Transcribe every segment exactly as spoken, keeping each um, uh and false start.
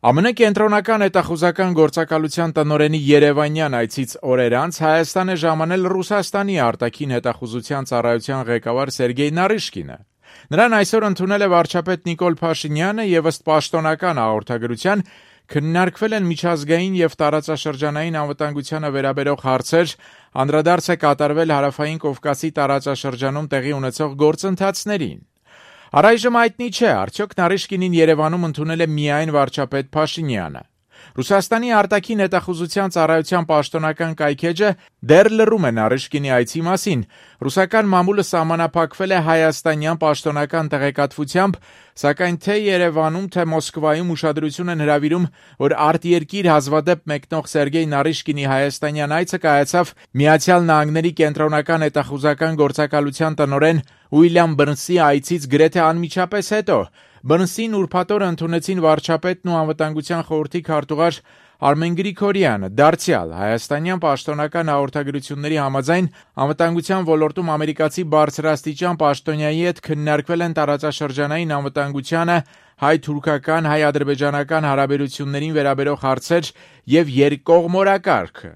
Է Մը կենտրոնական հետախուզական գործակալության տնօրենի երևանյան այցից օրեր անց Հայաստան է ժամանել Ռուսաստանի արտաքին հետախուզության ծառայության ղեկավար Սերգեյ Նարիշկինը։ Նրան այսօր ընդունել է վարչապետ Նիկոլ Փաշինյանը եւ ըստ պաշտոնական հաղորդագրության քննարկվել են միջազգային եւ տարածաշրջանային անվտանգությանը վերաբերող հարցեր, անդրադարձ է կատարվել Հարավային Կովկասի տարածաշրջանում տեղի ունեցող գործընթացներին։ Առայժմ հայտնի չէ, արդյոք Նարիշկինին Երևանում ընդունել է միայն վարչապետ Փաշինյանը։ Ռուսաստանի արտաքին հետախուզության ծառայության պաշտոնական կայքէջը դեռ լռում է Նարիշկինի այցի մասին։ Ռուսական մամուլը սահմանափակվել է հայաստանյան պաշտոնական տեղեկատվությամբ, սակայն թե Երևանում, թե Մոսկվայում ուշադրություն են հրավիրում, որ արտերկիր հազվադեպ մեկնող Սերգեյ Նարիշկինի հայաստանյան այցը կայացավ Միացյալ Նահանգների կենտրոնական հետախուզական գործակալության տնօրեն Ուիլյամ Բըրնսի այցից գրեթե անմիջապես հետո։ Բըրնսին ուրբաթ օրը ընդունեցին վարչապետն ու անվտանգության խորհրդի քարտուղար Արմեն Գրիգորյանը։ Դարձյալ հայաստանյան պաշտոնական հաղորդագրությունների համաձայն անվտանգության ոլորտում ամերիկացի բարձրաստիճան պաշտոնյայի հետ քննարկվել են տարածաշրջանային անվտանգությանը, հայ-թուրքական, հայ-ադրբեջանական հարաբերություններին վերաբերող հարցեր եւ երկկողմ օրակարգը։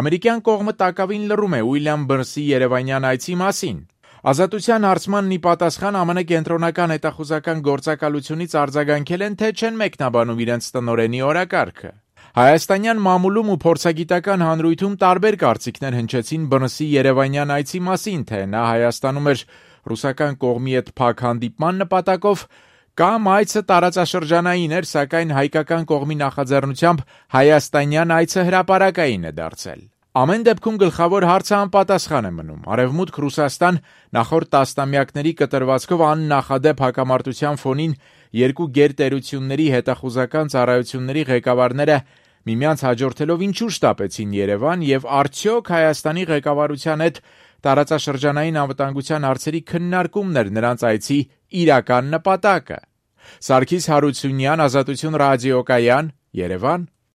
Ամերիկյան կողմը տակավին լռում է Ուիլյամ Բըրնսի երևանյան այցի մասին։ Ազատության հարցմանն ի պատասխան Է Մը կենտրոնական հետախուզական գործակալությունից արձագանքել են, թե չեն մեկնաբանում իրենց տնօրենի օրակարգը։ Հայաստանյան մամուլում ու փորձագիտական հանրույթում տարբեր կարծիքներ հնչեցին Բըրնսի երևանյան այցի մասին, թե նա Հայաստանում էր ռուսական կողմի հետ փակ հանդիպման նպատակով, կամ այցը տարածաշրջանային էր, սակայն հայկական կողմի նախաձեռնությամբ հայաստանյան այցը հրապարակային է դարձել։ Ամեն դեպքում գլխավոր հարցը անպատասխան է մնում։ Արևմուտք Ռուսաստան նախորդ տասնամյակների կտրվածքով աննախադեպ հակամարտության ֆոնին երկու գերտերությունների հետախուզական ծառայությունների ղեկավարները միմյանց հաջորդելով ինչու շտապեցին Երևան եւ արդյոք Հայաստանի ղեկավարության հետ տարածաշրջանային անվտանգության հարցերի քննարկումն էր նրանց այցի իրական նպատակը։ Սարգիս Հարությունյան, Ազատություն ռադիոկայան, Երևան։